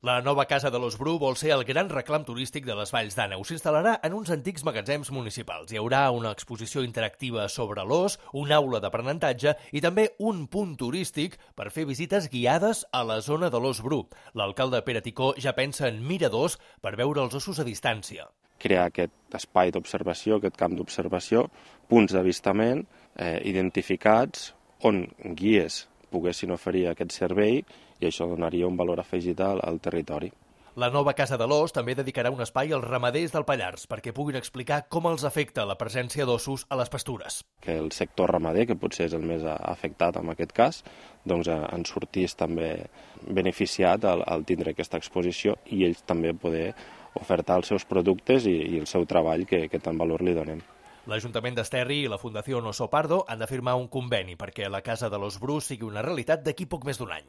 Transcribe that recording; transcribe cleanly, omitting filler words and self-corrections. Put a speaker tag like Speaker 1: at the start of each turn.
Speaker 1: La nova Casa de l'Ós Bru vol ser el gran reclam turístic de les Valls d'Àneu. S'instal·larà en uns antics magatzems municipals. Hi haurà una exposició interactiva sobre l'ós, una aula d'aprenentatge i també un punt turístic per fer visites guiades a la zona de l'Ós Bru. L'alcalde Pere Ticó ja pensa en miradors per veure els ossos a distància.
Speaker 2: Crear aquest espai d'observació, aquest camp d'observació, punts d'avistament identificats on guies poguessin oferir aquest servei i això donaria un valor afegit al territori.
Speaker 1: La nova Casa de l'Ós també dedicarà un espai als ramaders del Pallars perquè puguin explicar com els afecta la presència d'ossos a les pastures.
Speaker 2: Que el sector ramader, que potser és el més afectat en aquest cas, doncs en sortís també beneficiat al tindre aquesta exposició i ells també poder ofertar els seus productes i el seu treball que tant valor li donen.
Speaker 1: L'Ajuntament d'Esterri i la Fundació Oso Pardo han de firmar un conveni perquè la Casa de l'Ós Bru sigui una realitat d'aquí poc més d'un any.